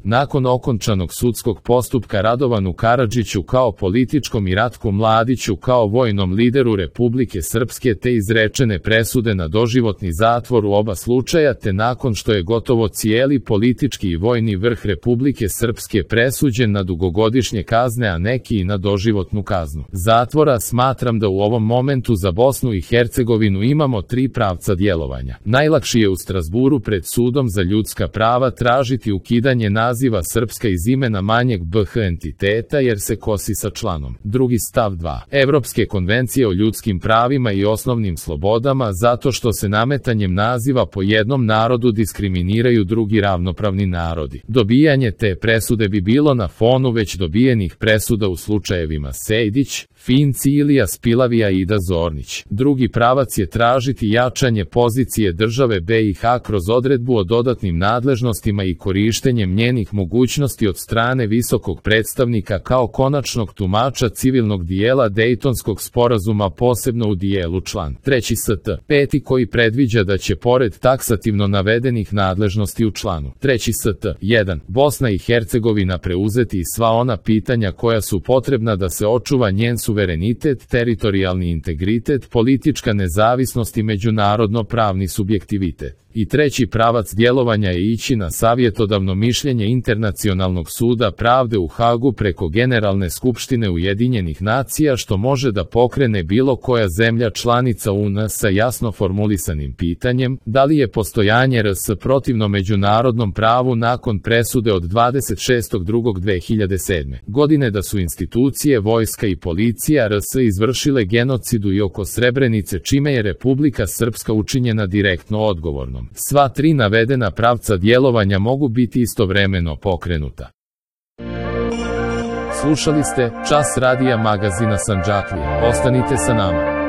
Nakon okončanog sudskog postupka Radovanu Karadžiću kao političkom i Ratku Mladiću kao vojnom lideru Republike Srpske te izrečene presude na doživotni zatvor u oba slučaja te nakon što je gotovo cijeli politički i vojni vrh Republike Srpske presuđen na dugogodišnje kazne, a neki i na doživotnu kaznu zatvora, smatram da u ovom momentu za Bosnu i Hercegovinu imamo tri pravca djelovanja. Najlakši je u Strazburu pred Sudom za ljudska prava tražiti ukidanje naziva Srpska iz imena manjeg BH entiteta jer se kosi sa članom 2. stav 2. Evropske konvencije o ljudskim pravima i osnovnim slobodama zato što se nametanjem naziva po jednom narodu diskriminiraju drugi ravnopravni narodi. Dobijanje te presude bi bilo na fonu već dobijenih presuda u slučajevima Sejdić, Finci, Ilija Spilavija i Ida Zornić. Drugi pravac je tražiti jačanje pozicije države BiH kroz odredbu o dodatnim nadležnostima i korištenjem njenih mogućnosti od strane visokog predstavnika kao konačnog tumača civilnog dijela Dejtonskog sporazuma, posebno u dijelu član 3. st. 5. koji predviđa da će pored taksativno navedenih nadležnosti u članu 3. st. 1. Bosna i Hercegovina preuzeti i sva ona pitanja koja su potrebna da se očuva njen suverenitet, teritorijalni integritet, politička nezavisnost i međunarodno-pravni subjektivitet. I treći pravac djelovanja je ići na savjetodavno mišljenje Internacionalnog suda pravde u Hagu preko Generalne skupštine Ujedinjenih nacija, što može da pokrene bilo koja zemlja članica UN sa jasno formulisanim pitanjem da li je postojanje RS protivno međunarodnom pravu nakon presude od 26.2.2007. godine da su institucije, vojska i policija RS izvršile genocidu i oko Srebrenice, čime je Republika Srpska učinjena direktno odgovornom. Sva tri navedena pravca djelovanja mogu biti istovremeno pokrenuta. Slušali ste Čas radija magazina Sandžaklija. Ostanite sa nama.